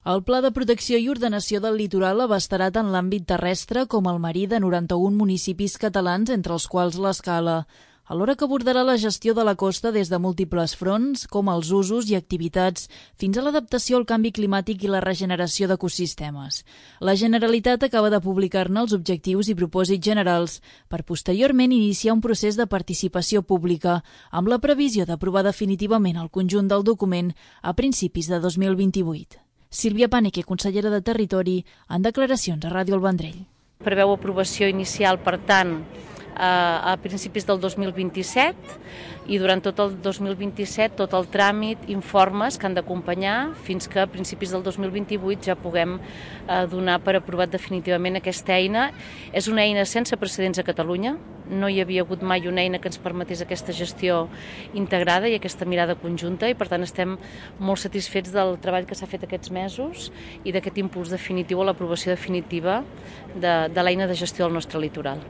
El Pla de Protecció i Ordenació del Litoral abastarà tant l'àmbit terrestre com el marí de 91 municipis catalans, entre els quals l'Escala, alhora que abordarà la gestió de la costa des de múltiples fronts, com els usos i activitats, fins a l'adaptació al canvi climàtic i la regeneració d'ecosistemes. La Generalitat acaba de publicar-ne els objectius i propòsits generals, per posteriorment iniciar un procés de participació pública, amb la previsió d'aprovar definitivament el conjunt del document a principis de 2028. Sílvia Paneque, consellera de Territori, en declaracions a Ràdio El Vendrell. Preveu aprovació inicial, per tant, a principis del 2027 i durant tot el 2027 tot el tràmit, informes que han d'acompanyar fins que a principis del 2028 ja puguem donar per aprovat definitivament aquesta eina. És una eina sense precedents a Catalunya, no hi havia hagut mai una eina que ens permetés aquesta gestió integrada i aquesta mirada conjunta i per tant estem molt satisfets del treball que s'ha fet aquests mesos i d'aquest impuls definitiu a l'aprovació definitiva de l'eina de gestió del nostre litoral.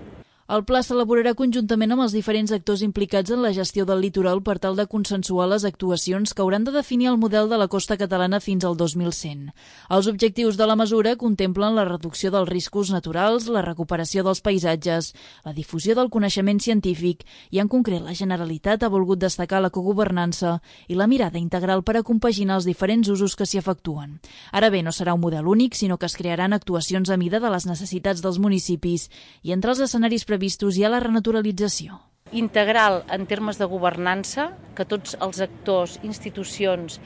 El pla s'elaborarà conjuntament amb els diferents actors implicats en la gestió del litoral per tal de consensuar les actuacions que hauran de definir el model de la costa catalana fins al 2100. Els objectius de la mesura contemplen la reducció dels riscos naturals, la recuperació dels paisatges, la difusió del coneixement científic i, en concret, la Generalitat ha volgut destacar la cogovernança i la mirada integral per a compaginar els diferents usos que s'hi efectuen. Ara bé, no serà un model únic, sinó que es crearan actuacions a mida de les necessitats dels municipis i entre els escenaris previstos hi ha la renaturalització. Integral en termes de governança, que tots els actors, institucions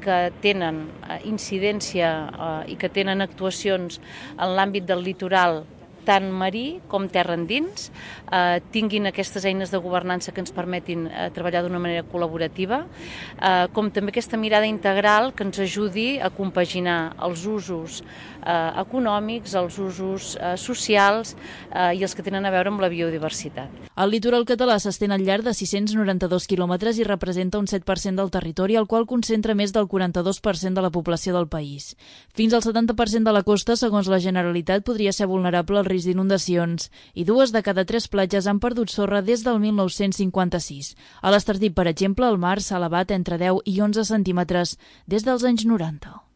que tenen incidència i que tenen actuacions en l'àmbit del litoral, tant marí com terra endins, tinguin aquestes eines de governança que ens permetin treballar d'una manera col·laborativa, com també aquesta mirada integral que ens ajudi a compaginar els usos econòmics, els usos socials i els que tenen a veure amb la biodiversitat. El litoral català s'estén al llarg de 692 quilòmetres i representa un 7% del territori, el qual concentra més del 42% de la població del país. Fins al 70% de la costa, segons la Generalitat, podria ser vulnerable al risc d'inundacions i 2 de cada 3 platges han perdut sorra des del 1956. A l'Estartit, per exemple, el mar s'ha elevat entre 10 i 11 centímetres des dels anys 90.